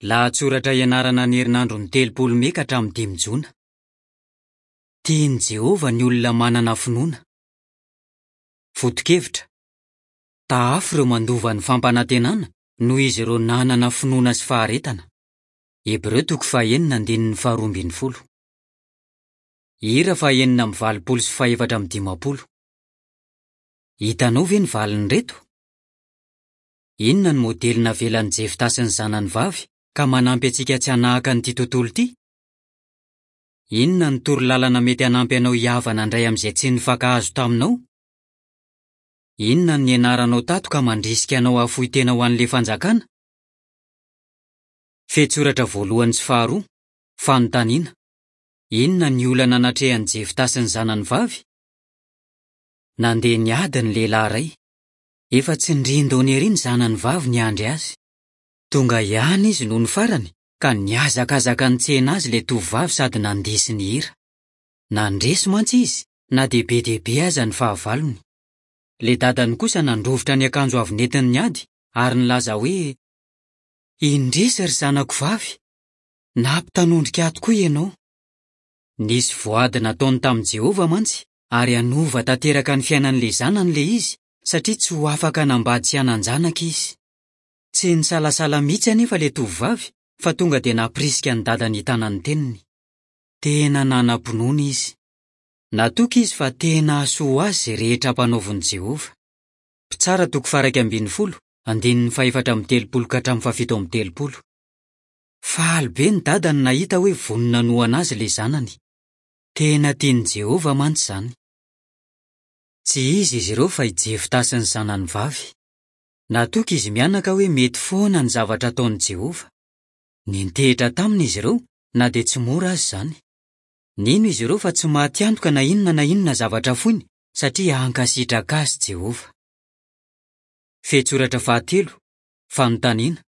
Lahatsoratra ianarana ny herinandron'ny 30 Mey ka hatramin'ny 5 Jona. Tian'i Jehovah ny olona manana finoana. Foto-kevitra, Tahafo ireo mandova ny fampanantenana noho izy ireo nanana finoana sy faharetana. Hebreo toko fahenina andininy faharoa ambin'ny folo. Hira faha-86 sy faha-54. Hitanao ve ny valin'ireto? Inona no modely navelan'i Jefta sy ny zanany vavy ka manampy antsika tsy hanahaka an'ity tontolo ity? Inona no toro lalana mety hanampy anao hihavana indray amin'izay tsy nifankahazo taminao? Inona no nianaranao tato ka mandrisika anao hahafoy tena ho an'ilay Fanjakana? Fehintsoratra voalohany sy faharoa, Fanontaniana, Inona ny olana natrehan'i Jefta sy ny zanany vavy? Nandeha niady ny lehilahy iray. Efa tsindrin-daona ery ny zanany vavy niandry azy. Tonga ihany izy nony farany ka nihazakazaka nitsena azy ilay tovovavy sady nandihy sy nihira. Nandresy mantsy izy na dia be dia be aza ny fahavalony. Ilay dadany kosa nandrovitra ny akanjo avy nentiny niady ary nilaza hoe, Indrisy ry zanako vavy! Nampitanondrika ahy tokoa ianao. Nisy voady nataony tamin'i Jehovah mantsy ary hanova tanteraka ny fiainan'ilay zanany ilay izy satria tsy ho afaka hanambady sy hanan-janaka izy. Tsy nisalasala mihitsy anefa ilay tovovavy fa tonga dia nampirisika ny dadany hitana ny teniny. Tena nanam-pinoana izy. Natoky izy fa tena hahasoa ho azy izay rehetra ampanaovin'i Jehovah. Mpitsara toko faha-11, andininy faha-34 ka hatramin'ny faha-37. Faly be ny dadany nahita hoe vonona hanohana azy ilay zanany. Tena tian'i Jehovah mantsy izany. Tsy iza izy ireo fa i Jefta sy ny zanany vavy. Natoky izy mianaka hoe mety foana ny zavatra ataon'i Jehovah. Nintehitra taminy izy ireo na dia tsy mora aza izany. Nino izy ireo fa tsy maty antoka na inona na inona zavatra foiny satria hankasitraka azy Jehovah. Fehintsoratra fahatelo, Fanontaniana,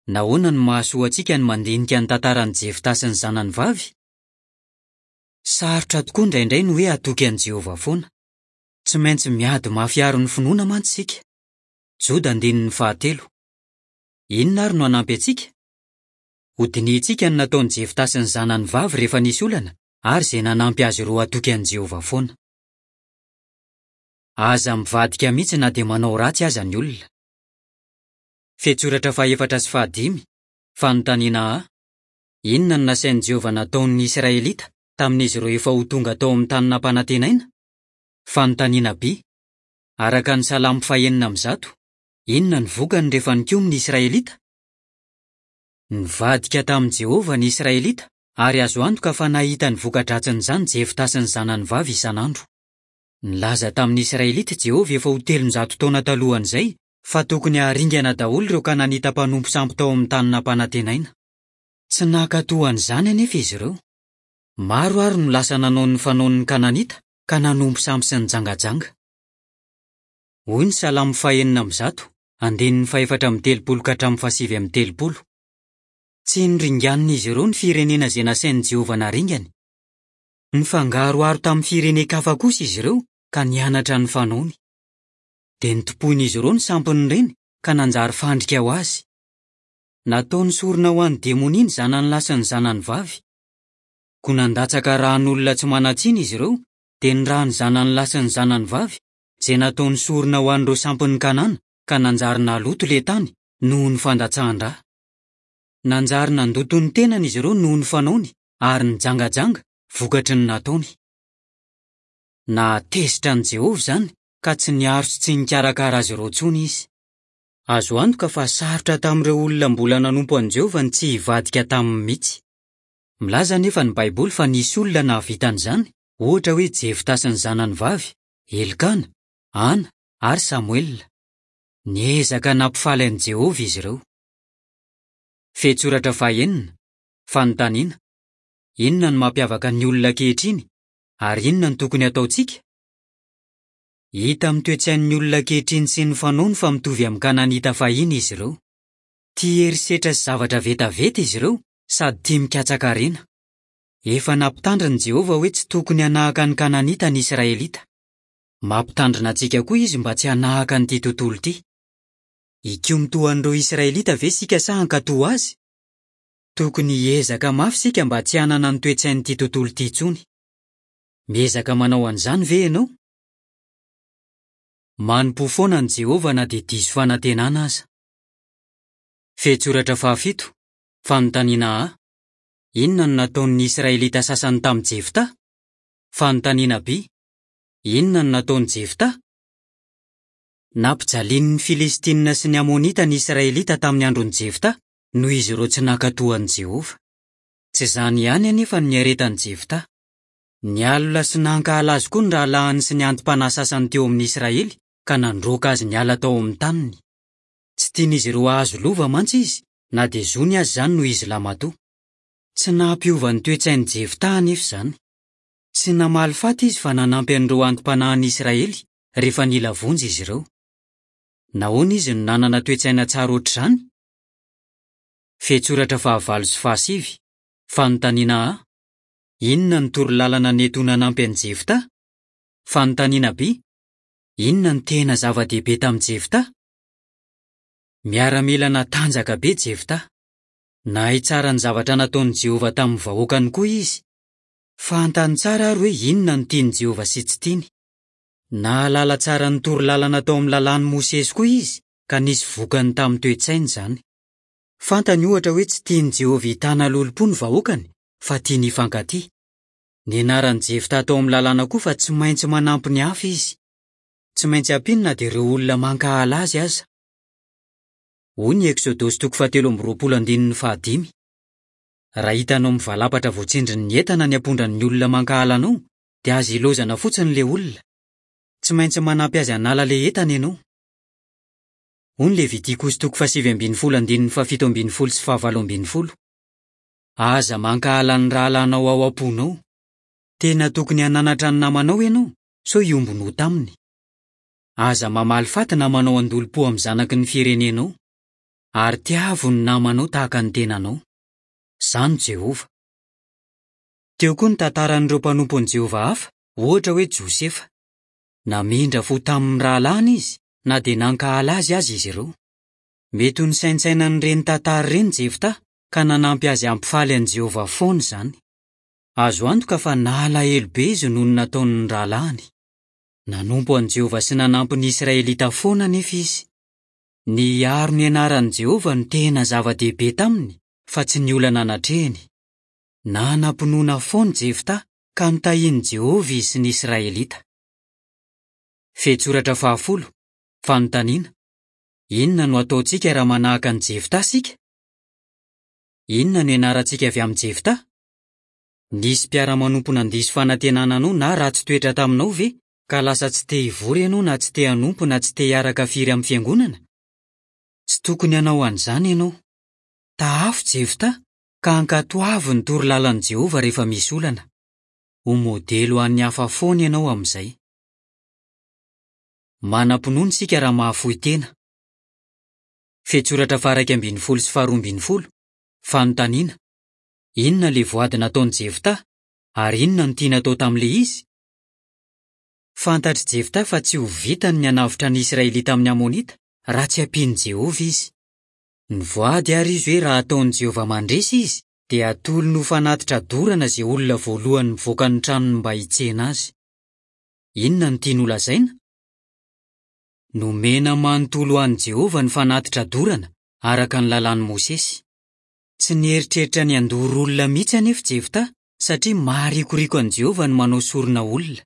Nahoana no mahasoa antsika ny mandinika ny tantaran'i Jefta sy ny zanany vavy? Sarotra tokoa indraindray ny hoe hatoky an'i Jehovah foana. Tsy maintsy miady mafy hiaro ny finoana mantsy isika. Joda andininy fahatelo. Inona àry no hanampy antsika? Hodinihintsika ny nataon'i Jefta sy ny zanany vavy rehefa nisy olana, ary izay nanampy azy ireo hatoky an'i Jehovah foana. Aza mivadika mihitsy na dia manao ratsy aza ny olona. Fehintsoratra fahefatra sy fahadimy, Fanontaniana A, Inona no nasain'i Jehovah nataon'ny Israelita tamin'izy ireo efa ho tonga tao amin'ny Tany Nampanantenaina? Fanontaniana B, Araka ny Salamo fahenina amby zato, inona no vokany rehefa nikomy ny Israelita? Nivadika tamin'i Jehovah ny Israelita, ary azo antoka fa nahita ny voka-dratsin'izany Jefta sy ny zanany vavy isan'andro. Nilaza tamin'ny Israelita i Jehovah efa ho 300 taona talohan'izay, fa tokony haringana daholo ireo Kananita mpanompo sampy tao amin'ny Tany Nampanantenaina. Tsy nankatò an'izany anefa izy ireo. Maro àry no lasa nanao ny fanaon'ny Kananita ka nanompo sampy sy nijangajanga. Hoy ny Salamo fahenina amby zato, andininy faha-34 ka hatramin'ny faha-39, Tsy noringanin'izy ireo ny firenena izay nasain'i Jehovah naringany. Nifangaroharo tamin'ny firenen-kafa kosa izy ireo ka nianatra ny fanaony. Dia notompoin'izy ireo ny sampin'ireny ka nanjary fandrika ho azy. Nataony sorona ho an'ny demonia ny zanany lahy sy ny zanany vavy. Koa nandatsaka ran'olona tsy manan-tsiny izy ireo, dia ny ran'ny zanany lahy sy ny zanany vavy, izay nataony sorona ho an'ireo sampin'i Kanana, ka nanjary naloto ilay tany, noho ny fandatsahan-dra. Nanjary nandoto ny tenany izy ireo noho ny fanaony, ary nijangajanga, vokatry ny nataony. Nahatezitra an'i Jehovah izany, ka tsy niaro sy tsy nikarakara azy ireo intsony izy. Azo antoka fa sarotra tamin'ireo olona mbola nanompo an'i Jehovah ny tsy hivadika taminy mihitsy. Milaza anefa ny Baiboly fa nisy olona nahavita an'izany, ohatra hoe Jefta sy ny zanany vavy, Elkana, Hana, ary Samoela. Niezaka nampifaly an'i Jehovah izy ireo. Fehintsoratra fahenina, Fanontaniana, Inona no mampiavaka ny olona ankehitriny, ary inona no tokony hataontsika? Hita amin'ny toe-tsain'ny olona ankehitriny sy ny fanaony fa mitovy amin'ny Kananita fahiny izy ireo. Tia herisetra sy zavatra vetaveta izy ireo sady tia mikatsaka harena. Efa nampitandrina i Jehovah hoe tsy tokony hanahaka ny Kananita ny Israelita. Mampitandrina antsika koa izy mba tsy hanahaka an'ity tontolo ity. Hikomy toa an'ireo Israelita ve isika sa hankatò azy? Tokony hiezaka mafy isika mba tsy hanana ny toe-tsain'ity tontolo ity intsony. Miezaka manao an'izany ve ianao? Manompoa foana an'i Jehovah na dia diso fanantenana aza. Fehintsoratra fahafito, Fanontaniana A, Inona no nataon'ny Israelita sasany tamin'i Jefta? Fanontaniana B, Inona no nataon'i Jefta? Nampijalian'ny Filistinina sy ny Amonita ny Israelita tamin'ny andron'i Jefta, noho izy ireo tsy nankatò an'i Jehovah. Tsy izany ihany anefa no niaretan'i Jefta. Nialona sy nankahala azy koa ny rahalahiny sy ny anti-panahy sasany teo amin'ny Israely, ka nandroaka azy niala tao amin'ny taniny. Tsy tian'izy ireo hahazo lova mantsy izy, na dia zony aza izany noho izy lahimatoa. Tsy nampiova ny toe-tsain'i Jefta anefa izany. Tsy namaly faty izy fa nanampy an'ireo anti-panahin'ny Israely rehefa nila vonjy izy ireo. Nahoana izy no nanana toe-tsaina tsara hoatr'izany? Fehintsoratra fahavalo sy fahasivy, Fanontaniana A, Inona no toro lalana nety ho nanampy an'i Jefta? Fanontaniana B, Inona no tena zava-dehibe tamin'i Jefta? Miaramila natanjaka be Jefta. Nahay tsara ny zavatra nataon'i Jehovah tamin'ny vahoakany koa izy. Fantany tsara àry hoe inona no tian'i Jehovah sy tsy tiany. Nahalala tsara ny toro lalana tao amin'ny Lalàn'i Mosesy koa izy, ka nisy vokany tamin'ny toe-tsainy izany. Fantany, ohatra, hoe tsy tian'i Jehovah hitana lolompo ny vahoakany, fa tiany hifankatia. Nianaran'i Jefta tao amin'ny Lalàna koa fa tsy maintsy manampy ny hafa izy. Tsy maintsy ampiany na dia ireo olona mankahala azy aza. Hoy ny Eksodosy toko fahatelo amby 20 andininy fahadimy, Raha hitanao mivalapatra voatsindrin'ny entana ny ampondran'ny olona mankahala anao, dia aza ilaozana fotsiny ilay olona. Tsy maintsy manampy azy hanala ilay entana ianao. Hoy ny Levitikosy toko fahasivy ambin'ny folo andininy fahafito ambin'ny folo sy fahavalo ambin'ny folo, Aza mankahala ny rahalahinao ao am-ponao. Tena tokony hananatra ny namanao ianao sao hiombon-ota aminy. Aza mamaly faty na manao an-dolompo amin'ny zanaky ny firenenao. Ary tiavo ny namanao tahaka ny tenanao. Izaho no Jehovah. Teo koa ny tantaran'ireo mpanompon'i Jehovah hafa, ohatra hoe Josefa. Namindra fo tamin'ny rahalahiny izy, na dia nankahala azy aza izy ireo. Mety ho nisaintsaina an'ireny tantara ireny Jefta, ka nanampy azy hampifaly an'i Jehovah foana izany. Azo antoka fa nalahelo be izy noho ny nataon'ny rahalahiny. Nanompo an'i Jehovah sy nanampy ny Israelita foana anefa izy. Ny hiaro ny anaran'i Jehovah no tena zava-dehibe taminy, fa tsy ny olana natrehiny. Nanam-pinoana foana i Jefta, ka notahin'i Jehovah izy sy ny Israelita. Fehintsoratra fahafolo, Fanontaniana, Inona no hataontsika raha manahaka an'i Jefta isika? Inona no ianarantsika avy amin'i Jefta? Nisy mpiara-manompo nandiso fanantenana anao na ratsy toetra taminao ve, ka lasa tsy te hivory ianao na tsy te hanompo na tsy te hiaraka firy amin'ny fiangonana? Tsy tokony hanao an'izany ianao. Tahafo Jefta, ka ankatoavy ny toro lalan'i Jehovah rehefa misy olana. Ho modely ho an'ny hafa foana ianao amin'izay. Manam-pinoana isika raha mahafoy tena. Fehintsoratra faha-11 sy faha-12, Fanontaniana, Inona ilay voady nataon'i Jefta, ary inona no tiany hatao tamin'ilay izy? Fantatr'i Jefta fa tsy ho vitany ny hanavotra ny Israelita amin'ny Amonita, raha tsy ampian'i Jehovah izy. Nivoady àry izy hoe raha ataon'i Jehovah mandresy izy, dia hatolony ho fanatitra dorana izay olona voalohany mivoaka ny tranony mba hitsena azy. Inona no tiany holazaina? Nomena manontolo ho an'i Jehovah ny fanatitra dorana, araka ny Lalàn'i Mosesy. Tsy nieritreritra ny handoro olona mihitsy anefa Jefta, satria maharikoriko an'i Jehovah ny manao sorona olona.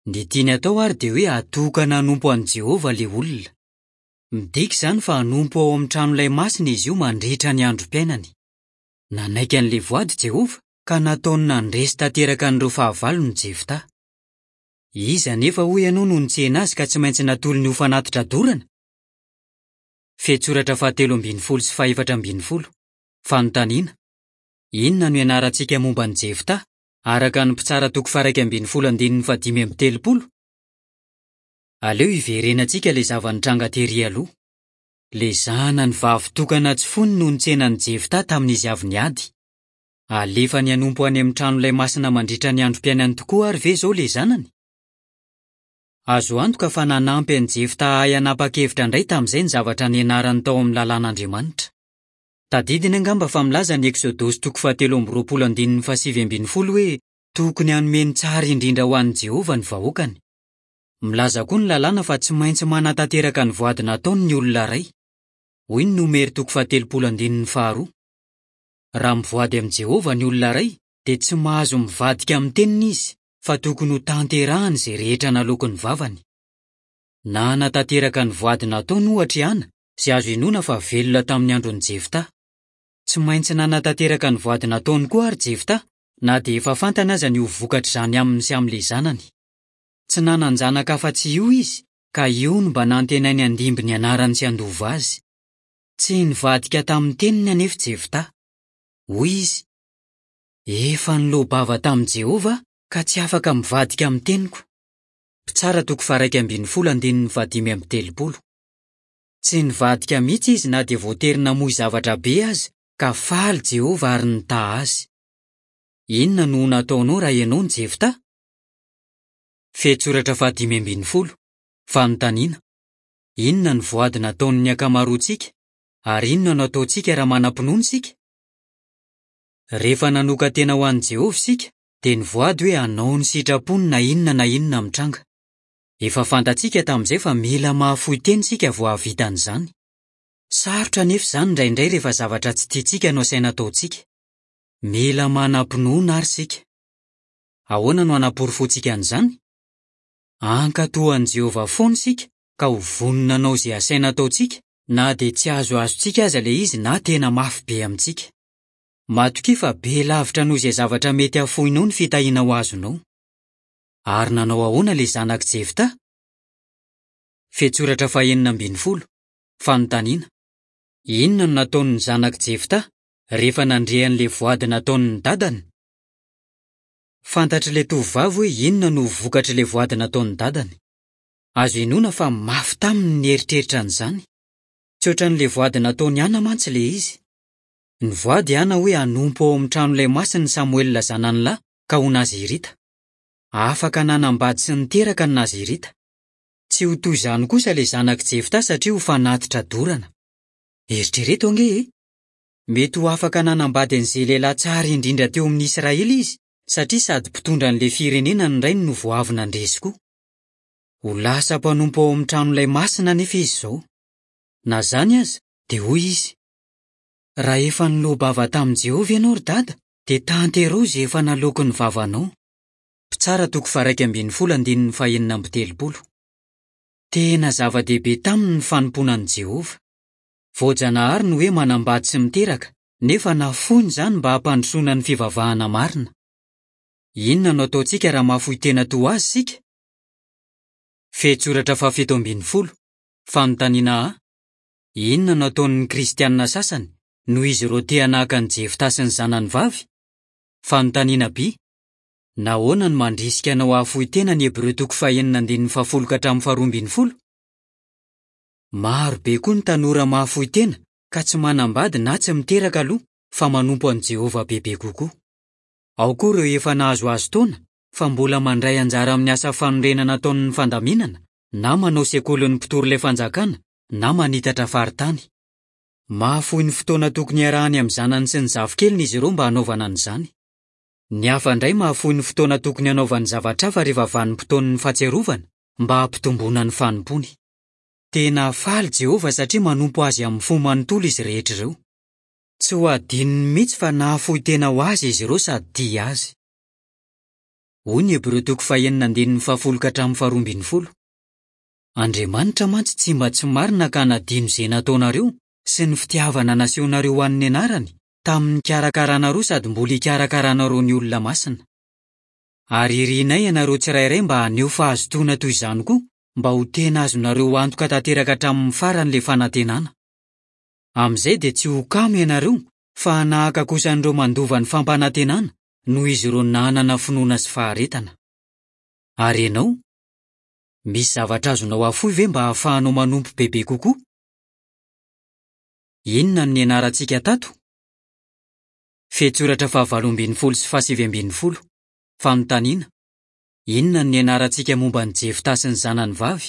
Ny tiany hatao àry dia hoe hatokana hanompo an'i Jehovah ilay olona. Midika izany fa hanompo ao amin'ny tranolay masina izy io mandritra ny androm-piainany. Nanaiky an'ilay voady Jehovah, ka nataony nandresy tanteraka an'ireo fahavalony Jefta. Iza anefa hoy ianao no nitsena azy ka tsy maintsy natolony ho fanatitra dorana? Fehintsoratra fahatelo ambin'ny folo sy fahefatra ambin'ny folo, Fanontaniana, Inona no ianarantsika momba an'i Jefta, araka ny Mpitsara toko faha-iraika ambin'ny folo andininy fahadimy amby telopolo? Aleo hiverenantsika ilay zava-nitranga tery aloha. Ilay zanany vavy tokana tsy fony no nitsena an'i Jefta tamin'izy avy niady. Alefany hanompo any amin'ny tranolay masina mandritra ny androm-piainany tokoa àry ve izao ilay zanany? Azo antoka fa nanampy an'i Jefta hahay hanapa-kevitra indray tamin'izay ny zavatra nianarany tao amin'ny Lalàn'Andriamanitra. Tadidiny angamba fa milaza ny Eksodosy toko fahatelo amby roapolo andininy fahasivy ambin'ny folo hoe tokony hanome ny tsara indrindra ho an'i Jehovah ny vahoakany. Milaza koa ny Lalàna fa tsy maintsy manatanteraka ny voady nataony ny olona iray. Hoy ny Nomery toko faha-30 andininy faharoa. Raha mivoady amin'i Jehovah ny olona iray, dia tsy mahazo mivadika amin'ny teniny izy, fa tokony hotanterahiny izay rehetra naloaky ny vavany. Nanatanteraka ny voady nataony, ohatra, i Hana, izay azo inoana fa velona tamin'ny andron'i Jefta. Tsy maintsy nanatanteraka ny voady nataony koa àry Jefta, na dia efa fantany aza ny ho vokatr'izany aminy sy amin'ilay zanany. Tsy nanan-janaka afa-tsy io izy, ka io no mba nantenainy handimby ny anarany sy handova azy. Tsy nivadika tamin'ny teniny anefa i Jefta. Hoy izy, Efa niloa-bava tamin'i Jehovah aho, ka tsy afaka mivadika amin'ny teniko. Mpitsara toko faha-11 andininy fahadimy amby telopolo. Tsy nivadika mihitsy izy na dia voatery namoy zavatra be aza, ka faly Jehovah ary nitaha azy. Inona no ho nataonao raha ianao no Jefta? Fehintsoratra fahadimy ambin'ny folo, Fanontaniana, Inona no voady nataon'ny ankamaroantsika, ary inona no ataontsika raha manam-pinoana isika? Rehefa nanokan-tena ho an'i Jehovah isika, dia nivoady hoe hanao ny sitrapony na inona na inona mitranga. Efa fantatsika tamin'izay fa mila mahafoy tena isika vao hahavita an'izany. Sarotra anefa izany indraindray rehefa zavatra tsy tiantsika no asaina ataontsika. Mila manam-pinoana àry isika. Ahoana no hanaporofoantsika an'izany? Hankatò an'i Jehovah foana isika ka ho vonona hanao izay asaina ataontsika, na dia tsy azoazontsika aza ilay izy na tena mafy be amintsika. Matokia fa be lavitra noho izay zavatra mety hafoinao ny fitahiana ho azonao. Ary nanao ahoana ilay zanak'i Jefta? Fehintsoratra fahenina ambin'ny folo, Fanontaniana, Inona no nataon'ny zanak'i Jefta rehefa nandre an'ilay voady nataon'ny dadany? Fantatr'ilay tovovavy hoe inona no ho vokatr'ilay voady nataon'ny dadany. Azo inoana fa mafy taminy ny nieritreritra an'izany. Tsy hoatran'ilay voady nataon'i Hana mantsy ilay izy. Nivoady i Hana hoe hanompo ao amin'ny tranolay masina i Samoela zanany lahy ka ho Nazirita. Afaka nanambady sy niteraka ny Nazirita. Tsy ho toy izany kosa ilay zanak'i Jefta satria ho fanatitra dorana. Eritrereto ange e! Mety ho afaka nanambady an'izay lehilahy tsara indrindra teo amin'ny Israely izy, satria sady mpitondra an'ilay firenena ny rainy no vao avy nandresy koa. Ho lasa mpanompo ao amin'ny tranolay masina anefa izy izao. Na izany aza, dia hoy izy, Raha efa niloa-bava tamin'i Jehovah ianao, ry Dada, dia tanteraho izay efa naloaky ny vavanao. Mpitsara toko faha-11 andininy fahenina amby telopolo. Tena zava-dehibe taminy ny fanompoana an'i Jehovah. Voajanahary ny hoe manambady sy miteraka, nefa nafoiny izany mba hampandrosoana ny fivavahana marina. Inona no ataontsika raha mahafoy tena toa azy isika? Fehintsoratra fahafito ambin'ny folo, Fanontaniana A, Inona no ataon'ny Kristianina sasany noho izy ireo te hanahaka an'i Jefta sy ny zanany vavy? Fanontaniana B, Nahoana no mandrisika anao hahafoy tena ny Hebreo toko fahenina andininy fahafolo ka hatramin'ny faharoa ambin'ny folo? Maro be koa ny tanora mahafoy tena ka tsy manambady na tsy miteraka aloha fa manompo an'i Jehovah bebe kokoa. Ao koa ireo efa nahazoazo taona fa mbola mandray anjara amin'ny asa fanorenana ataon'ny fandaminana na manao sekolin'ny mpitory ilay Fanjakana na manitatra faritany. Mahafoy ny fotoana tokony hiarahany amin'ny zanany sy ny zafikeliny izy ireo mba hanaovana an'izany. Ny hafa indray mahafoy ny fotoana tokony hanaovany zavatra hafa rehefa vanim-potoan'ny Fahatsiarovana mba hampitomboana ny fanompoany. Tena faly Jehovah satria manompo azy amin'ny fo manontolo izy rehetra ireo. Tsy ho hadinony mihitsy fa nahafoy tena ho azy izy ireo sady tia azy. Hoy ny Hebreo toko fahenina andininy fahafolo ka hatramin'ny faharoa ambin'ny folo, Andriamanitra mantsy tsy mba tsy marina ka hanadino izay nataonareo sy ny fitiavana nasehonareo ho an'ny anarany tamin'ny nikarakaranareo sady mbola hikarakaranareo ny olona masina. Ary irinay ianareo tsirairay mba haneho fahazotoana toy izany koa mba ho tena azonareo antoka tanteraka hatramin'ny farany ilay fanantenana. Amin'izay dia tsy ho kamo ianareo fa hanahaka kosa an'ireo mandova ny fampanantenana noho izy ireo nanana finoana sy faharetana. Ary ianao? Misy zavatra azonao afoy ve mba hahafahanao manompo bebe kokoa? Inona no nianarantsika tato? Fehintsoratra fahavalo ambin'ny folo sy fahasivy ambin'ny folo. Fanontaniana, Inona no nianarantsika momba an'i Jefta sy ny zanany vavy,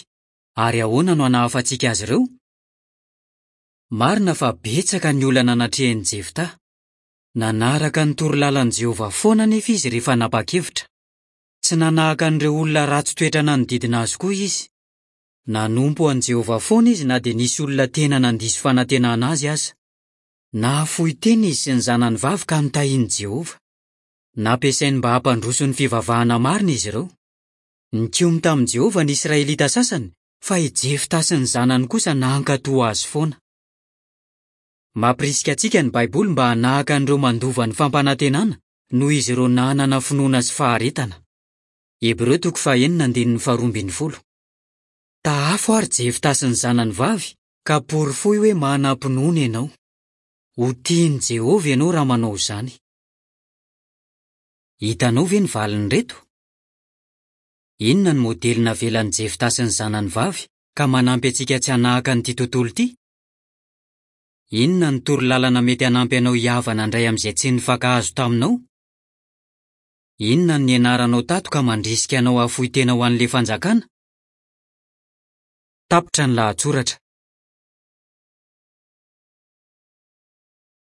ary ahoana no hanahafantsika azy ireo? Marina fa betsaka ny olana natrehin'i Jefta. Nanaraka ny toro lalan'i Jehovah foana anefa izy rehefa nanapa-kevitra. Tsy nanahaka an'ireo olona ratsy toetra nanodidina azy koa izy. Nanompo an'i Jehovah foana izy na dia nisy olona tena nandiso fanantenana azy aza. Nahafoy tena izy sy ny zanany vavy ka notahin'i Jehovah. Nampiasainy mba hampandroso ny fivavahana marina izy ireo. Nikomy tamin'i Jehovah ny Israelita sasany, fa i Jefta sy ny zanany kosa nankatò azy foana. Mampirisika antsika ny Baiboly mba hanahaka an'ireo mandova ny fampanantenana noho izy ireo nanana finoana sy faharetana. Hebreo toko fahenina andininy faharoa ambin'ny folo. Tahafo àry Jefta sy ny zanany vavy, ka porofoy hoe manam-pinoana ianao. Ho tian'i Jehovah ianao raha manao izany. Hitanao ve ny valin'ireto? Inona no modely navelan'i Jefta sy ny zanany vavy ka manampy antsika tsy hanahaka an'ity tontolo ity? Inona no toro lalana mety hanampy anao hihavana indray amin'izay tsy nifankahazo taminao? Inona no nianaranao tato ka mandrisika anao hahafoy tena ho an'ilay Fanjakana? Tapitra ny lahatsoratra.